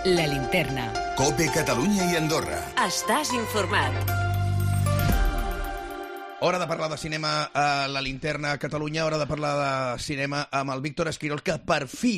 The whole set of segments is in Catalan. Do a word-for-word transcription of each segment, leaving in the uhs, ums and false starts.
La Linterna. COPE Catalunya i Andorra. Estàs informat. Hora de parlar de cinema a La Linterna a Catalunya, hora de parlar de cinema amb el Víctor Esquirol, que per fi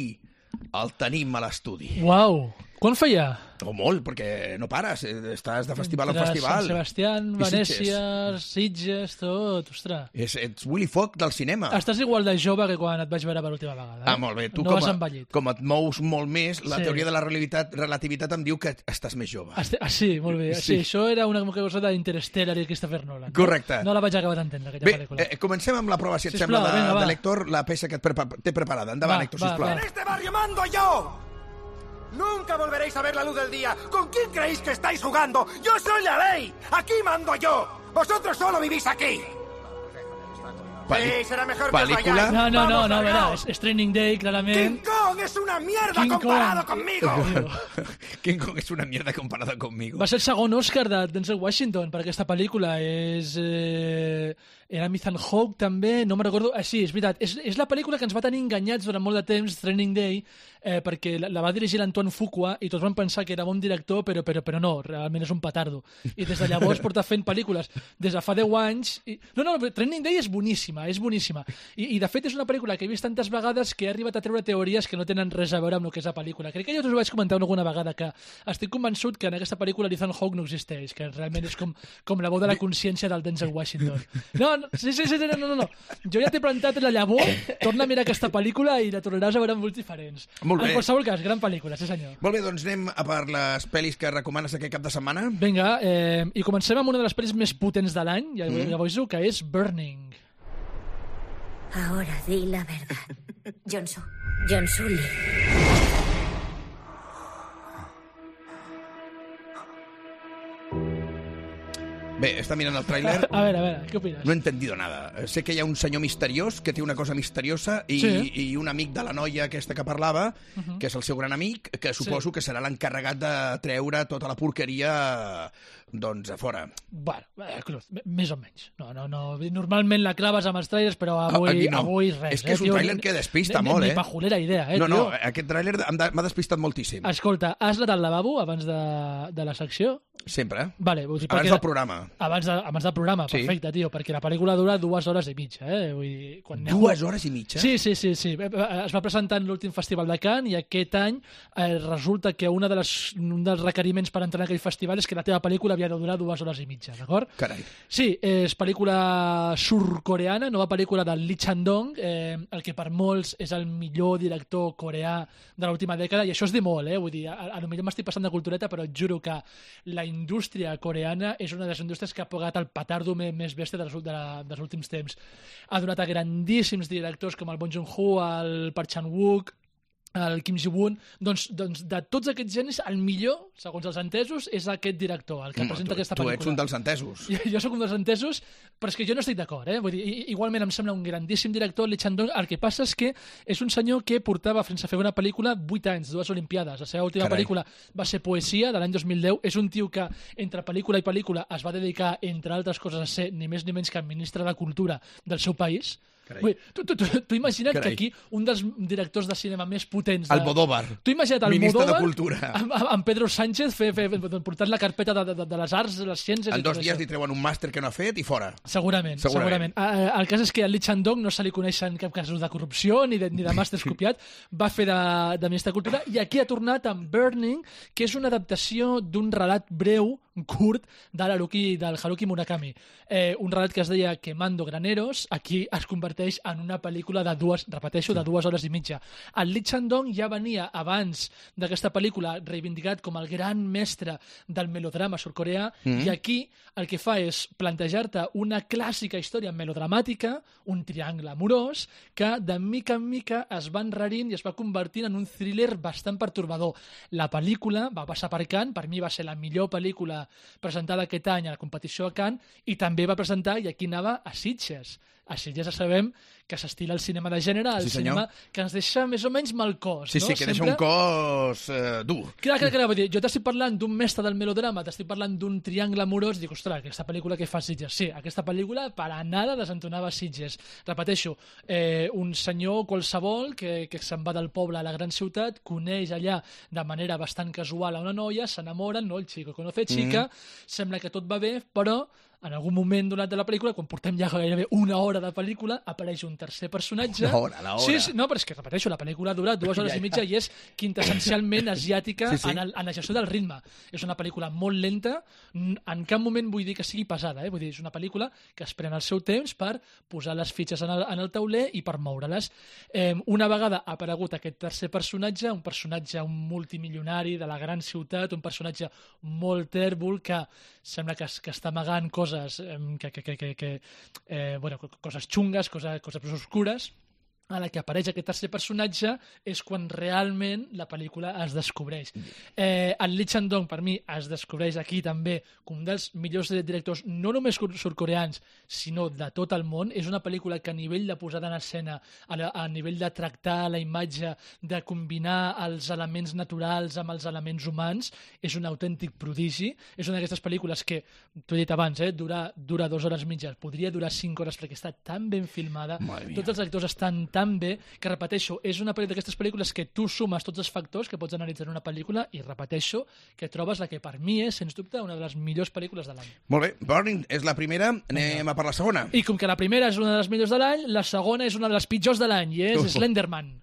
el tenim a l'estudi. Uau! Quan feia? O molt, perquè no pares, estàs de festival en Entre festival. Sant Sebastián, I Venècia, Sitges, tot, ostres. És, ets Willy Fogg del cinema. Estàs igual de jove que quan et vaig veure per l'última vegada. Eh? Ah, molt bé. Tu no com, has a, envellit. com et mous molt més, la Sí. teoria de la relativitat, relativitat em diu que estàs més jove. Este... Ah, sí, molt bé. Sí. Sí. sí, això era una cosa d'Interstellar i Christopher Nolan. Correcte. No la vaig acabar d'entendre, aquella Bé, pel·lícula. eh, comencem amb la prova, si et Sisplau, sembla, de, vinga, va. de Héctor, la peça que et prepa té preparada. Endavant, Va, Héctor, va, sisplau. va. ¡En este barrio mando yo! Nunca volveréis a ver la luz del día. ¿Con quién creéis que estáis jugando? ¡Yo soy la ley! ¡Aquí mando yo! ¡Vosotros solo vivís aquí! Peli- Sí, será mejor que os pel·lícula? vayáis. No, no, no, Vamos, no, verà, largaos. és, és Training Day, ¡King clarament. Kong es una mierda King comparado Kong. conmigo! King Kong és una mierda comparada conmigo. Va ser el segon Òscar de Denzel Washington per aquesta pel·lícula. És... Eh... Era Ethan Hawke, també, no me'n recordo. Ah, sí, és veritat. És, és la pel·lícula que ens va tenir enganyats durant molt de temps, Training Day, eh, perquè la, la va dirigir l'Antoine Fuqua i tots van pensar que era bon director, però, però, però no, realment és un petardo. I des de llavors porta fent pel·lícules des de fa deu anys. I... No, no, no, Training Day és boníssima, és boníssima. I, I de fet és una pel·lícula que he vist tantes vegades que he arribat a treure teories que no tenen res a veure amb el que és la pel·lícula. Crec que jo us ho vaig comentar alguna vegada, que estic convençut que en aquesta pel·lícula l'Ethan Hawke no existeix, que realment és com, com la veu de la consciència del Denzel Washington. No, no, sí, sí, sí, no, no, no. Jo ja t'he plantat la llavor, torna a mirar aquesta pel·lícula i la tornaràs a veure amb ulls diferents. Molt bé. En qualsevol cas, gran pel·lícula, sí senyor. Molt bé, doncs anem a per les pel·lis que recomanes aquest cap de setmana. Vinga, eh, i comencem amb una de les pel·lis més potents de l'any, ja, mm. ja ho aviso, que és Burning. Ahora di la verdad. John Su. John Sully. Bé, està mirant el tràiler. A veure, a veure, què opines? No he entendido nada. Sé que hi ha un senyor misteriós que té una cosa misteriosa i, Sí. i un amic de la noia aquesta que parlava, Uh -huh. que és el seu gran amic, que suposo Sí. que serà l'encarregat de treure tota la porqueria doncs a fora. Bueno, eh, Cruz, més o menys. No, no, no. Normalment la claves amb els trailers, però avui, Aquí no. avui res. És que és un tio, tràiler ni- que despista ni, molt, ni eh? pajolera idea, eh, no, no, tio? aquest tràiler em de- m'ha despistat moltíssim. Escolta, has anat al lavabo abans de, de la secció? Sempre. Vale, vull dir, Abans perquè- del programa. Abans, de, abans del programa, Sí. perfecte, tio, perquè la pel·lícula dura dues hores i mitja, eh? Vull dir, quan aneu- Dues hores i mitja? Sí, sí, sí, sí. Es va presentar en l'últim festival de Cannes i aquest any eh, resulta que una de les, un dels requeriments per entrar en aquell festival és que la teva pel·lícula havia de durar dues hores i mitja, d'acord? Carai. Sí, és pel·lícula surcoreana, nova pel·lícula del Lee Chang-dong, eh, el que per molts és el millor director coreà de l'última dècada, i això és dir molt, eh? Vull dir, a, a lo millor m'estic passant de cultureta, però et juro que la indústria coreana és una de les indústries que ha pagat el petardo més, més bèstia dels, de la, dels últims temps. Ha donat a grandíssims directors com el Bong Joon-ho, el Park Chan-wook, el Kim Ji-woon, doncs, doncs de tots aquests genis, el millor, segons els entesos, és aquest director, el que Mm, presenta tu, aquesta tu pel·lícula. ets un dels entesos. Jo, jo sóc un dels entesos, però és que jo no estic d'acord, eh? Vull dir, i- igualment em sembla un grandíssim director, Lee Chang-dong. El que passa és que és un senyor que portava fins a fer una pel·lícula vuit anys, dues Olimpiades. La seva última Carai. pel·lícula va ser Poesia, de l'any dos mil deu. És un tio que, entre pel·lícula i pel·lícula, es va dedicar, entre altres coses, a ser ni més ni menys que ministre de Cultura del seu país. Carai. Vull dir, tu, tu, tu, tu imagina't Carai. que aquí un dels directors de cinema més potents... De... Almodóvar. Tu imagina't el Ministre de Almodóvar Cultura. amb, amb, amb Pedro Sánchez fe, fe, fe, portant la carpeta de, de, de les arts, de les ciències... En i tot dos dies això. li treuen un màster que no ha fet i fora. Segurament, Segurament. segurament. segurament. El cas és que al Lee Chang-dong no se li coneixen cap casos de corrupció ni de, ni de màsters copiat. Va fer de, de ministre de Cultura i aquí ha tornat amb Burning, que és una adaptació d'un relat breu, curt, de l'Haruki, del Haruki Murakami. Eh, un relat que es deia Quemando Graneros, aquí es converteix en una pel·lícula de dues, repeteixo, de dues hores i mitja. El Lee Chang-dong ja venia abans d'aquesta pel·lícula reivindicat com el gran mestre del melodrama surcoreà mm. i aquí el que fa és plantejar-te una clàssica història melodramàtica, un triangle amorós, que de mica en mica es va enrarint i es va convertint en un thriller bastant pertorbador. La pel·lícula va passar per Cannes, per mi va ser la millor pel·lícula presentada aquest any a la competició a Cannes i també va presentar, i aquí anava, a Sitges. A Sitges ja sabem que s'estila el cinema de gènere, el Sí, cinema senyor. que ens deixa més o menys mal cos. Sí, no? sí, que deixa Sempre- un cos eh, dur. Clar, clar, clar, vull dir, jo t'estic parlant d'un mestre del melodrama, t'estic parlant d'un triangle amorós, dic, ostres, aquesta pel·lícula que fa Sitges? Sí, aquesta pel·lícula per a nada desentonava Sitges. Repeteixo, eh, un senyor qualsevol que, que se'n va del poble a la gran ciutat, coneix allà de manera bastant casual a una noia, s'enamoren, no? El chico conoce chica, mm-hmm. sembla que tot va bé, però en algun moment donat de la pel·lícula, quan portem ja gairebé una hora de pel·lícula, apareix un tercer personatge... Una hora, la hora. Sí, sí, no, però és que, repeteixo, la pel·lícula dura dues hores i mitja i és quintessencialment asiàtica Sí, sí. en, el, en la gestió del ritme. És una pel·lícula molt lenta, n- en cap moment vull dir que sigui pesada, eh? Vull dir, és una pel·lícula que es pren el seu temps per posar les fitxes en el, en el tauler i per moure-les. Eh, una vegada ha aparegut aquest tercer personatge, un personatge un multimilionari de la gran ciutat, un personatge molt tèrbol que sembla que, es- que està amagant coses eh, que, que, que, que, que eh, bueno, co- coses xungues, coses, coses més oscures. A la que apareix aquest tercer personatge és quan realment la pel·lícula es descobreix. Eh, el Lee Chang-dong, per mi, es descobreix aquí també com un dels millors directors, no només cur- surcoreans, sinó de tot el món. És una pel·lícula que a nivell de posada en escena, a, la, a nivell de tractar la imatge, de combinar els elements naturals amb els elements humans, és un autèntic prodigi. És una d'aquestes pel·lícules que, t'ho he dit abans, eh, dura, dura dues hores mitges, podria durar cinc hores perquè està tan ben filmada, Madre mia. tots els actors estan tan bé, que repeteixo, és una pel·lícula d'aquestes pel·lícules que tu sumes tots els factors que pots analitzar en una pel·lícula i repeteixo que trobes la que per mi és, sens dubte, una de les millors pel·lícules de l'any. Molt bé, Burning és la primera, anem a per la segona. I com que la primera és una de les millors de l'any, la segona és una de les pitjors de l'any i és Uh. Slenderman.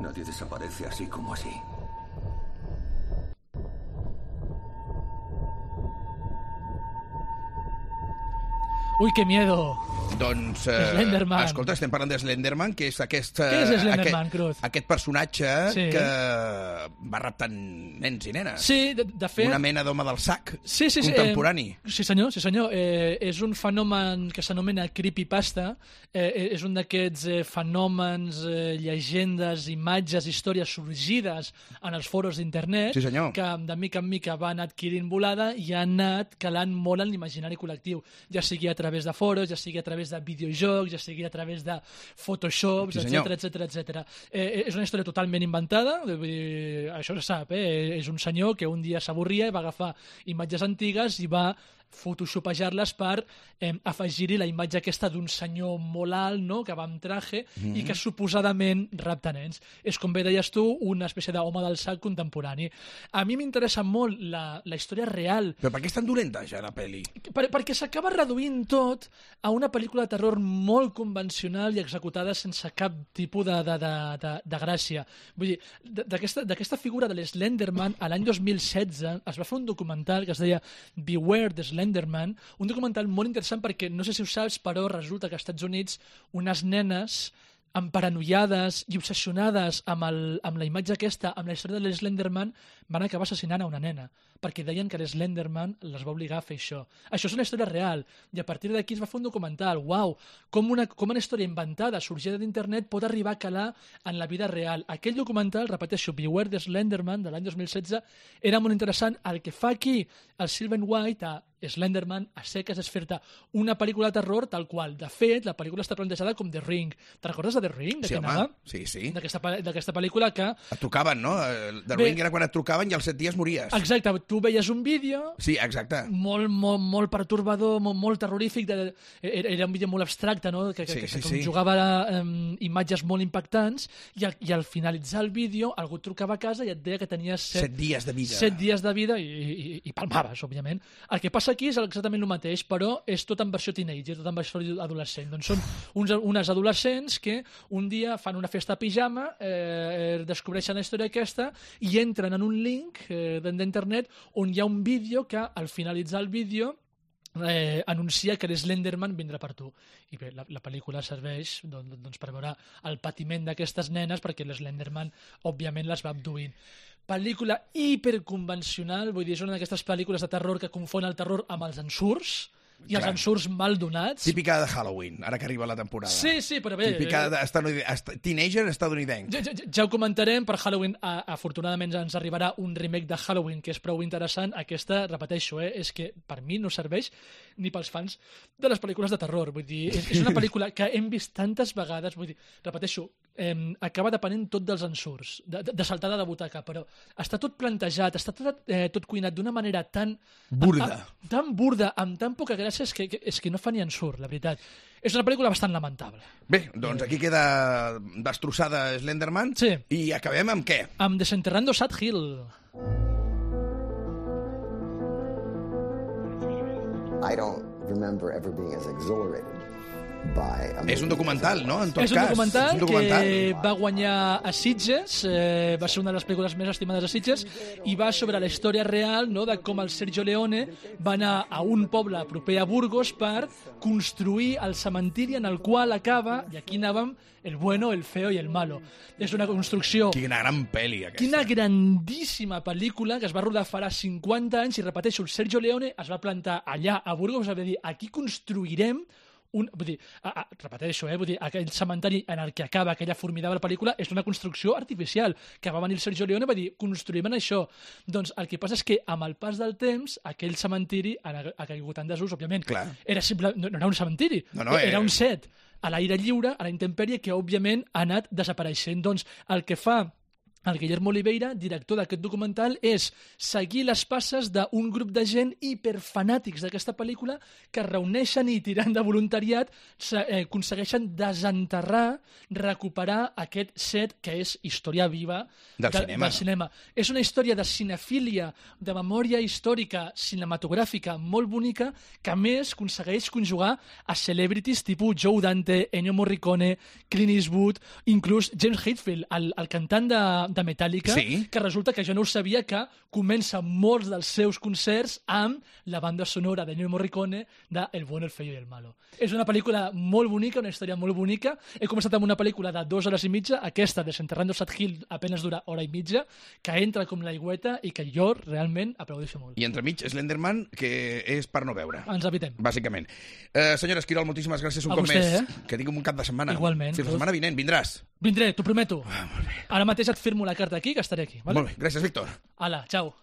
Nadie desaparece así como así. Ui, que miedo! Doncs, eh, Slenderman. escolta, estem parlant de Slenderman, que és aquest... eh, Què és Slenderman, aquest, Cruz? aquest personatge Sí. que va raptant nens i nenes. Sí, de, de fet... Una mena d'home del sac Sí, sí, sí, contemporani. Eh, sí, senyor, sí, senyor. Eh, és un fenomen que s'anomena creepypasta. Eh, és un d'aquests eh, fenòmens, eh, llegendes, imatges, històries sorgides en els foros d'internet Sí, senyor. que de mica en mica van adquirint volada i han anat calant molt en l'imaginari col·lectiu, ja sigui a través de foros, ja sigui a través de videojocs, ja sigui a través de Photoshops, Sí, senyor. etcètera, etcètera, etcètera. Eh, és una història totalment inventada, vull dir, això se sap, eh? És un senyor que un dia s'avorria i va agafar imatges antigues i va photoshopejar-les per eh, afegir-hi la imatge aquesta d'un senyor molt alt, no?, que va amb traje mm. i que suposadament rapta nens. És, com bé deies tu, una espècie d'home del sac contemporani. A mi m'interessa molt la, la història real, Però per què és tan dolenta, ja, la pel·li? per, perquè s'acaba reduint tot a una pel·lícula de terror molt convencional i executada sense cap tipus de, de, de, de, de gràcia. Vull dir, d'aquesta d'aquesta figura de l'Slenderman, a l'any dos mil setze es va fer un documental que es deia Beware the Slenderman, un documental molt interessant perquè, no sé si ho saps, però resulta que als Estats Units unes nenes emparanoiades i obsessionades amb, el, amb la imatge aquesta, amb la història de l'Slenderman, van acabar assassinant a una nena, perquè deien que l'Slenderman les va obligar a fer això. Això és una història real, i a partir d'aquí es va fer un documental. Uau, com una, com una història inventada, sorgida d'internet, pot arribar a calar en la vida real. Aquell documental, repeteixo, Beware the Slenderman, de l'any dos mil setze, era molt interessant. El que fa aquí el Sylvain White a Slenderman a seques és fer-te una pel·lícula de terror tal qual. De fet, la pel·lícula està plantejada com The Ring. Te recordes de The Ring? De Sí, què home, anava? sí, sí. D'aquesta pe- d'aquesta pel·lícula que... Et trucaven, no? El The Bé. Ring era quan et trucaven i als set dies mories. Exacte, tu veies un vídeo Sí, exacte. molt, molt, molt pertorbador, molt, molt terrorífic, de, era, era un vídeo molt abstracte, no? que, que, Sí, que, sí, que sí. jugava a um, imatges molt impactants i al, i al finalitzar el vídeo algú et trucava a casa i et deia que tenies set, Set dies de vida. set dies de vida i, i, i palmaves, òbviament. El que passa aquí és exactament el mateix, però és tot en versió teenager, tot en versió adolescent. Doncs són uns, unes adolescents que un dia fan una festa a pijama, eh, descobreixen la història aquesta i entren en un link eh, d'internet on hi ha un vídeo que al finalitzar el vídeo eh, anuncia que l'Slenderman vindrà per tu. I bé, la, la pel·lícula serveix doncs, doncs, per veure el patiment d'aquestes nenes perquè l'Slenderman, òbviament, les va abduint. Pel·lícula hiperconvencional, vull dir, és una d'aquestes pel·lícules de terror que confon el terror amb els ensurts, i els Clar. ensurts mal donats. Típica de Halloween, ara que arriba la temporada. Sí, sí, però bé... Típica eh, de estatunidenc, est- teenager estadounidenc. Ja, ja, ja ho comentarem, per Halloween a, afortunadament ens arribarà un remake de Halloween que és prou interessant. Aquesta, repeteixo, eh, és que per mi no serveix ni pels fans de les pel·lícules de terror. Vull dir, és, és una pel·lícula que hem vist tantes vegades, vull dir, repeteixo, eh, acaba depenent tot dels ensurts, de, de, de saltada de butaca, però està tot plantejat, està tot, eh, tot cuinat d'una manera tan... Burda. A, a, tan burda, amb tan poca gràcia, és que, que, és que no fa ni ensurt, la veritat. És una pel·lícula bastant lamentable. Bé, doncs aquí queda destrossada Slenderman. Sí. I acabem amb què? Amb Desenterrando Sad Hill. I don't remember ever being as exhilarated by a És un documental, no? En tot És un cas. documental, és un documental que va guanyar a Sitges, eh, va ser una de les pel·lícules més estimades a Sitges, i va sobre la història real, no?, de com el Sergio Leone va anar a un poble proper a Burgos per construir el cementiri en el qual acaba, i aquí anàvem, el bueno, el feo i el malo. És una construcció... Quina gran pel·li, aquesta. Quina grandíssima pel·lícula que es va rodar farà cinquanta anys, i repeteixo, el Sergio Leone es va plantar allà a Burgos, va dir, aquí construirem un, vull dir, a, a, repeteixo, eh, vull dir, aquell cementeri en el que acaba aquella formidable pel·lícula és una construcció artificial, que va venir el Sergio Leone i va dir, construïm en això. Doncs el que passa és que amb el pas del temps aquell cementiri ha, ha caigut en desús, òbviament. Clar. Era simple, no, no era un cementiri, No, no, era, era- un set a l'aire lliure, a la intempèrie, que òbviament ha anat desapareixent. Doncs el que fa el Guillermo Oliveira, director d'aquest documental, és seguir les passes d'un grup de gent hiperfanàtics d'aquesta pel·lícula que es reuneixen i, tirant de voluntariat, se- eh, aconsegueixen desenterrar, recuperar aquest set que és història viva Del de, cinema. del cinema. És una història de cinefília, de memòria històrica, cinematogràfica, molt bonica, que a més aconsegueix conjugar a celebrities tipus Joe Dante, Ennio Morricone, Clint Eastwood, inclús James Hetfield, el, el cantant de, de Metallica, Sí. que resulta que jo no ho sabia, que comença molts dels seus concerts amb la banda sonora d'Ennio Morricone de El bueno, el feo i el malo. És una pel·lícula molt bonica, una història molt bonica. He començat amb una pel·lícula de dues hores i mitja, aquesta, Desenterrando Sad Hill, apenas dura hora i mitja, que entra com l'aigüeta i que jo realment aplaudeixo molt. I entremig, Slenderman, que és per no veure. Ens evitem. Bàsicament. Eh, senyora Esquirol, moltíssimes gràcies un A cop vostè, més. eh? Que tinguem un cap de setmana. Igualment. Fins la setmana vinent, vindràs. Vindré, t'ho prometo. Ara mateix et firmo la carta aquí, que estaré aquí. Vale? Molt bé, gràcies, Víctor. Ala, ciao.